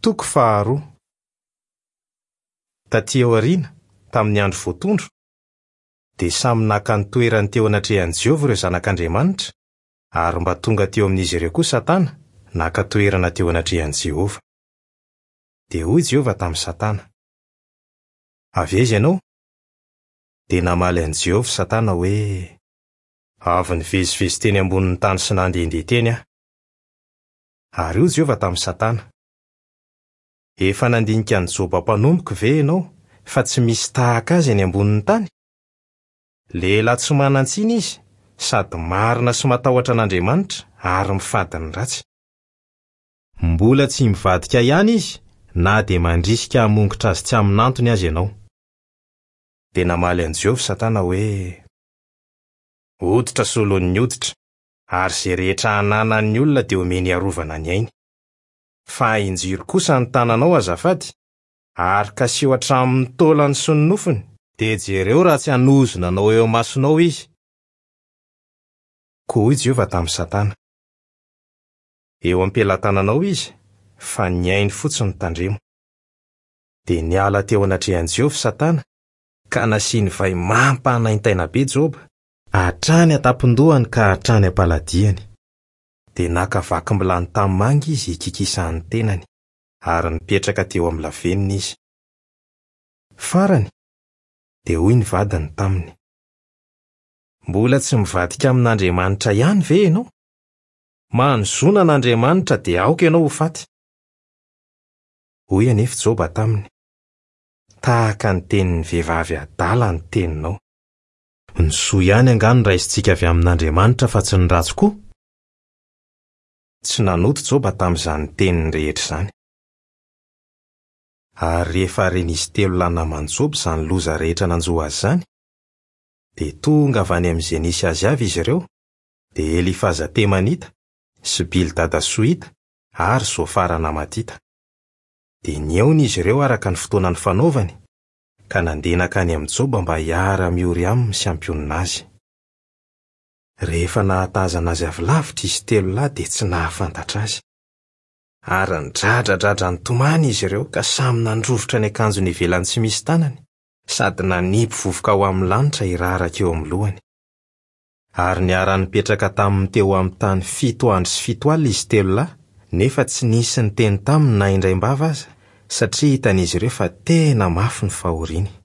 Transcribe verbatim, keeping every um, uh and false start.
Toko faharoa. Tatỳ aoriana, tamin'ny andro voatondro, dia samy naka ny toerany teo anatrehan'i Jehovah ireo zanak'Andriamanitra, ary mba tonga teo amin'izy ireo koa Satana, naka toerana teo anatrehan'i Jehovah. Dia hoy Jehovah tamin'i Satana: "Avy aiza ianao?" Dia namaly an'i Jehovah Satana hoe: "Avy nivezivezy teny ambonin'ny tany sy nandehandeha teny aho." Ary hoy Jehovah tamin'i Satana: "Efa nandinika an'i Joba mpanompoko ve ianao fa tsy misy tahaka azy eny ambonin'ny tany? Lehilahy tsy manan-tsiny izy, sady marina sy matahotra an'Andriamanitra ary mifady ny ratsy. Mbola tsy mivadika ihany izy na dia mandrisika hamongotra azy tsy amin'antony aza ianao." Dia namaly an'i Jehovah Satana hoe: "Hoditra solon'ny hoditra, ary izay rehetra ananan'ny olona dia omeny hiarovana ny ainy. Fa ahinjiro kosa ny tananao azafady, ary kasiho hatramin'ny taolany sy ny nofony, dia jereo raha tsy hanozona anao eo imasonao izy." Koa hoy Jehovah tamin'i Satana: "Eo am-pelatananao izy, fa ny ainy fotsiny tandremo." Dia niala teo anatrehan'i Jehovah Satana, ka nasiany vay mampanaintaina be Joba, hatrany an-tampon-dohany ka hatrany am-paladiany. Dia naka vakim-bilany tanimanga izy hikikisan'ny tenany, ary nipetraka teo amin'ny lavenona izy. Farany, dia hoy ny vadiny taminy: "Mbola tsy mivadika amin'Andriamanitra ihany ve ianao? Manozona an'Andriamanitra dia aoka ianao ho faty." Hoy anefa Joba taminy: "Tahaka ny tenin'ny vehivavy adala ny teninao. Ny soa ihany angaha no raisintsika avy amin'Andriamanitra fa tsy ny ratsy koa?" Tsy nanota Joba tamin'izany teniny rehetra izany. Ary rehefa ren'izy telo lahy naman'i Joba izany loza rehetra nanjo azy izany, dia tonga avy any amin'izay nisy azy avy izy ireo, dia Elifaza Temanita sy Bildada Sohita ary Zofara Namatita. Dia nihaona izy ireo araka ny fotoana nifanaovany, ka nandeha nankany amin'i Joba mba hiara-miory aminy sy hampionona azy. Rehefa nahatazana azy avy lavitra izy telo lahy dia tsy nahafantatra azy. Ary nidradradradra nitomany izy ireo ka samy nandrovitra ny akanjony ivelany tsy misy tanany, sady nanipy vovoka ho amin'ny lanitra hiraraka eo amin'ny lohany. Ary niara-nipetraka taminy teo amin'ny tany fito andro sy fito alina izy telo lahy, nefa tsy nisy niteny taminy na indraim-bava aza, satria hitan'izy ireo fa tena mafy ny fahoriany.